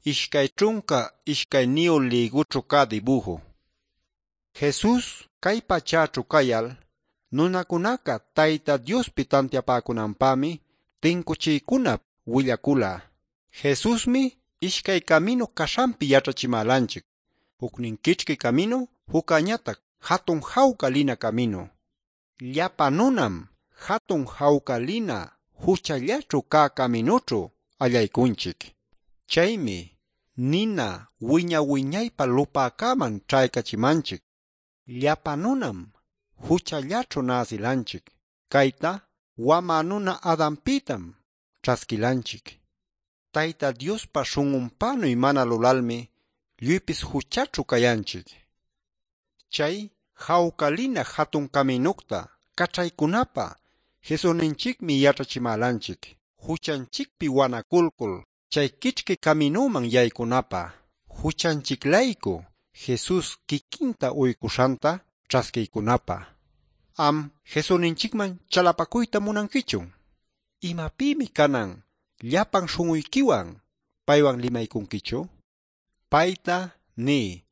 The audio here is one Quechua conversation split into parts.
22 lïgućhu cä dibuju. Jesús cay pachäćhu cayal nunacunaca Tayta Diospi tantiapäcunanpämi tincuchiycunap willacula. Jesusmi ishcay caminu caśhanpi yaćhachimälanchic. Jucnin quichqui caminu, juccañatac jatun jawca lina caminu. Llapa nunam jatun jawca lina juchallaćhu cä caminućhu allaycunchic. Chaymi nina wiña-wiñaypa lupäcäman ćhaycachimanchic. Llapa nunam juchallaćhu näsilanchic. Cayta wamä nuna Adanpïtam ćhasquilanchic. Tayta Diospa śhun'unpänuy mana lulalmi lluypis juchaćhu cayanchic. Chay jawca lina jatun caminucta caćhaycunapä Jesusninchicmi yaćhachimälanchic. Juchanchicpi wanaculcul chay quichqui caminuman yaycunapä. Juchanchic-laycu Jesús quiquinta uycuśhanta ćhasquiycunapä. Am Jesusninchicman chalapacuyta munanquichun? ¿Imapïmi canan llapan śhun'uyquiwan paywan limaycunquichu? Payta niy: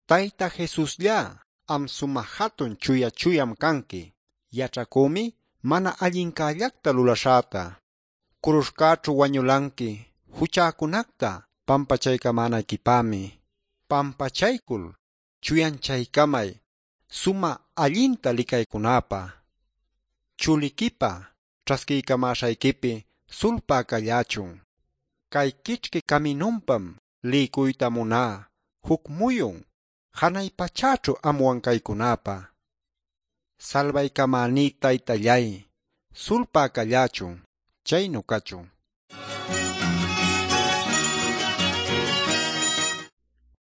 Tayta Jesusllá, am sumä jatun chuya chuyam canqui. Yaćhacümi mana allincällacta lulaśhäta. Curuśhcäćhu wañulanqui juchäcunacta pampachaycamänayquipämi. Pampachaycul chuyanchaycamay sumä allinta licaycunäpä. Chuliquipa ćhasquiycamäśhayquipi sulpä callächun. Cay quichqui caminunpam liycuyta muná juc muyun janay pachäćhu amwan caycunäpä. Salbaycamäní Taytallay, sulpä callächun. Chaynu cachun.